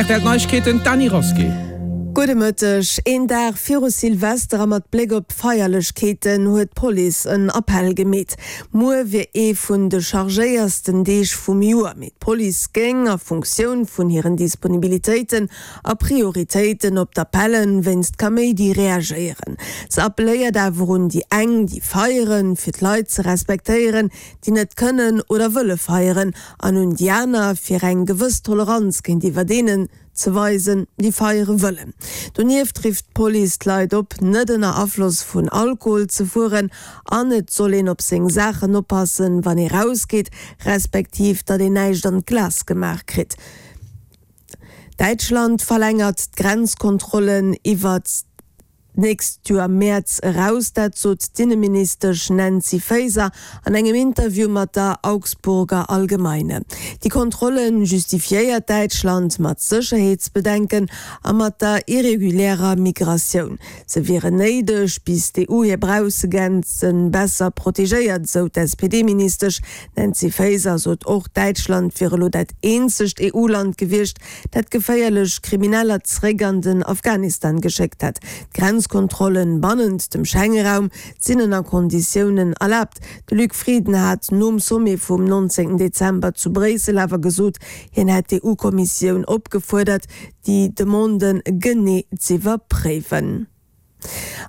Rtl Neiegkeeten, d'Dany Rasqué. Gudde Mëtteg. Een Dag viru Silvester a mat Bléck op d'Feierlechkeeten huet d'Police en Appell gemeet. Muer wier ee vun de chargéiersten Deeg vum Joer, mee d'Police géing a Funktioun vun hiren Disponibilitéiten a Prioritéiten op d'Appelle wéinst Kaméidi reagéieren. Se appelléiert awer un déi eng, déi feieren, fir d'Leit ze respektéieren, déi net kënnen oder wëlle feieren, an un déi aner, fir eng gewëss Toleranz géintiwwer deenen ze weisen, déi feiere wëllen. Donieft rifft d'Police d'Leit op, net ënner Afloss vun Alkohol ze fueren an et soll een op seng Saachen oppassen, wann ee rausgeet, respektiv datt een näischt an d'Glas gemaach kritt. Däitschland verlängert d'Grenzkontrollen iwwert d'nächst Joer Mäerz eraus. Dat sot d'Inneministesch Nancy Faeser an engem Interview mat der Augsburger Allgemeine. Déi Kontrolle justifiéiert Däitschland mat Sécherheetsbedenken a mat der irregulärer Migratioun. Se wieren néideg, bis d'EU hir Braussegrenze besser protegéiert, esou d'SPD-Ministesch D'Nancy Faeser sot och, Däitschland wier elo dat eenzegt EU-Land gewiescht, dat geféierlech Krimineller zeréck an den Afghanistan geschéckt hätt. D'Grenzkontrollen bannent dem Schengeraum sinn ënner Konditiounen erlaabt. De Luc Frieden hat nom Sommet vum 19 Dezember zu Bréissel awer gesot, hien hätt d'EU-Kommissioun opgefuerdert, déi Demande genee z'iwwerpréiwen.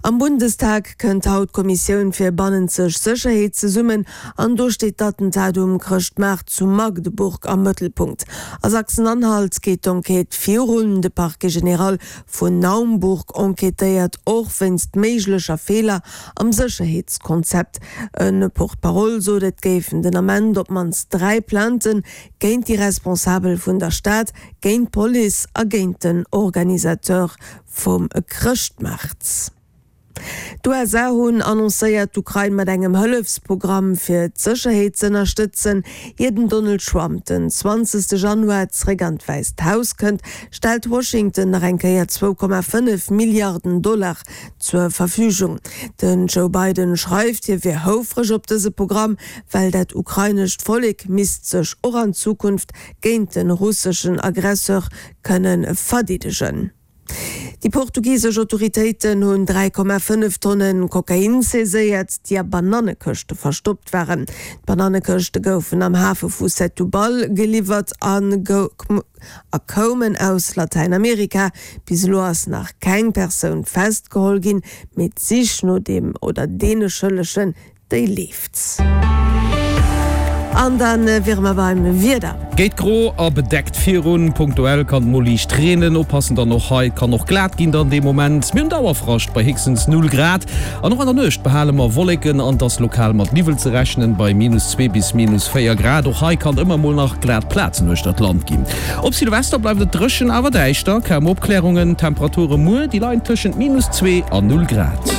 Am Bundestag kënnt haut d'Kommissioun fir bannenzeg Sécherheet zesummen an do steet d'Attentat um Chrëschtmaart zu Magdeburg am Mëttelpunkt. A Sachsen-Anhalt geet d'Enquête virun. De Parquet général vun Naumburg enquêtéiert och wéinst méiglecher Feeler am Sécherheetskonzept. E Porte-parole sot, et géifen den Ament op d'mannst 3 Plainten géint déi Responsabel vun der Stad, géint d'Police a géint den Organisateur Vum Chrëschtmaart. D'USA hunn annoncéiert, d'Ukrain mat engem Hëllefsprogramm fir d'Sécherheet z'ënnerstëtzen. Ier den Donald Trump den 20 Januar zeréck an d'Wäisst Haus kënnt, stellt Washington nach eng Kéier 2,5 Milliarden Dollar zur Verfügung. Den Joe Biden schreift, hie wier houfreg op dëse Programm, well dat ukrainescht Vollek misst sech och an Zukunft géint de russeschen Aggresseur kënne verdeedegen. Déi portugisesch Autoritéiten hunn 3,5 Tonne Kokain saiséiert, déi a Banannekëschte verstoppt waren. D'Banannekëschte goufen am Hafe vu Setúbal geliwwert a koumen aus Latäinamerika. Bis elo ass nach keng Persoun festgeholl ginn, mee d'Sich no dem oder deene Schëllegen Déi leeft. An da wiere mer beim Wieder. Geet gro a bedeckt virun. Punktuell kann et mol liicht reenen. Oppassen dann och hei, et kann och glat ginn dann dee Moment. Mir hunn Dauerfrascht bei héchstens 0 Grad an och an der Nuecht behale mer Wolleken an et ass lokal mat Niwwel ze rechnen bei minus 2 bis minus 4 Grad. Och hei kann ëmmer mol nach glat Plazen uechter d'Land ginn. Op Silvester bleift et dréchen awer däischter, kaum Opklärungen. D'Temperature muer, déi leien tëschent minus 2 a 0 Grad.